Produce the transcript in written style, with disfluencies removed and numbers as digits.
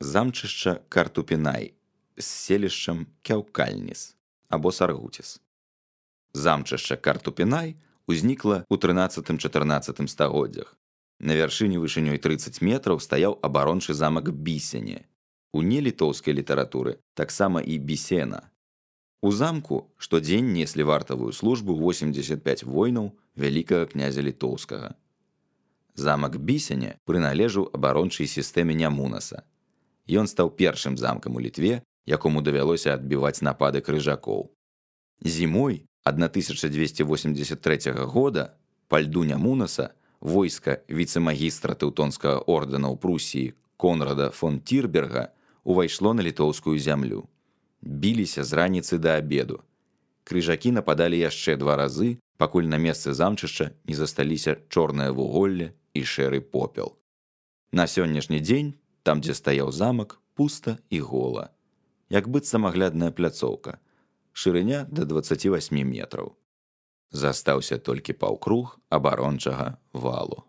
Замчышча Картупінай з селішчам Кяўкальніс або Саргуціс. Замчышча Картупінай узнікла ў 13-14 стагоддзях. На вяршыні вышынёй 30 метраў стаяў абарончы замак Бісене. У нелітоўскай літаратуры таксама і Бісена. У замку штодзень неслі вартавую службу 85 воінаў вялікага князя літоўскага. Замак Бісене прыналежаў абарончай сістэме Нямунаса. Ён стаў першым замкам у Літве, якому давялося адбіваць напады крыжакоў. Зімой 1283 года па льду Нямунаса войска віцэ-магістра тэўтонскага ордэна ў Прусіі Конрада фон Тірберга увайшло на літоўскую зямлю. Біліся з раніцы да абеду. Крыжакі нападалі яшчэ 2 разы, пакуль на месцы замчышча не засталіся чорнае вуголле і шэры попел. На сённяшні дзень, там, дзе стаяў замак, пуста і гола. Як быццам аглядная пляцоўка. Шырыня да 28 метраў. Застаўся толькі паўкруг абарончага валу.